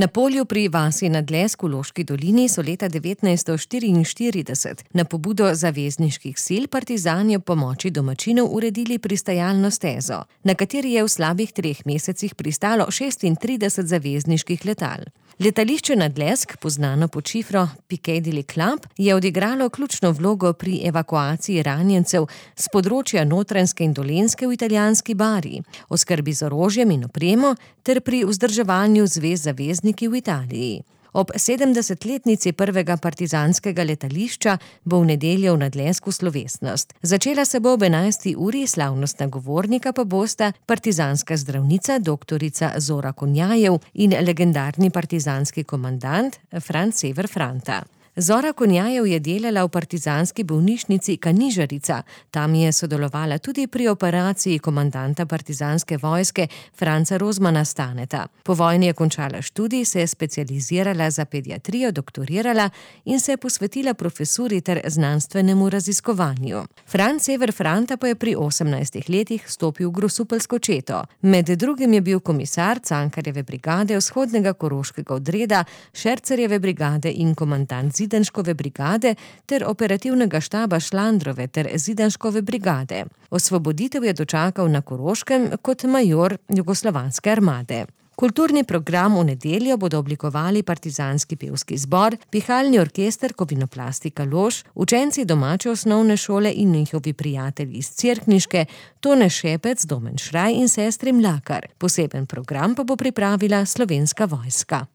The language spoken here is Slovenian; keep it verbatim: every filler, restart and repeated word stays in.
Na polju pri vasi Nadlesk v Loški dolini so leta devetnajststo štiriinštirideset na pobudo zavezniških sil partizani ob pomoči domačinov uredili pristajalno stezo, na kateri je v slabih treh mesecih pristalo šestintrideset zavezniških letal. Letališče Nadlesk, poznano pod šifro Piccadilly Club, je odigralo ključno vlogo pri evakuaciji ranjencev s področja Notranjske in Dolenjske v italijanski Bari, oskrbi z orožjem in opremo ter pri vzdrževanju zvez zavezniki v Italiji. Ob sedemdesetletnici prvega partizanskega letališča bo v nedeljo v Nadlesku slovesnost. Začela se bo ob enajsti uri, slavnostna govornika pa bosta partizanska zdravnica doktorica Zora Konjajev in legendarni partizanski komandant Franc Sever Franta. Zora Konjajev je delala v partizanski bolnišnici Kanižarica, tam je sodelovala tudi pri operaciji komandanta partizanske vojske Franca Rozmana Staneta. Po vojni je končala študij, se je specializirala za pediatrijo, doktorirala in se je posvetila profesuri ter znanstvenemu raziskovanju. Franc Sever Franta pa je pri osemnajstih letih stopil v grosupeljsko četo. Med drugim je bil komisar Cankarjeve brigade vzhodnega koroškega odreda, Šercerjeve brigade in komandant Zidanškove brigade ter operativnega štaba Šlandrove ter Zidanškove brigade. Osvoboditev je dočakal na Koroškem kot major jugoslovanske armade. Kulturni program v nedeljo bodo oblikovali partizanski pevski zbor, pihalni orkester Kovinoplastika Lož, učenci domače osnovne šole in njihovi prijatelji iz Cerkniške, Tone Šepec, Domen Šraj in sestri Mlakar. Poseben program pa bo pripravila Slovenska vojska.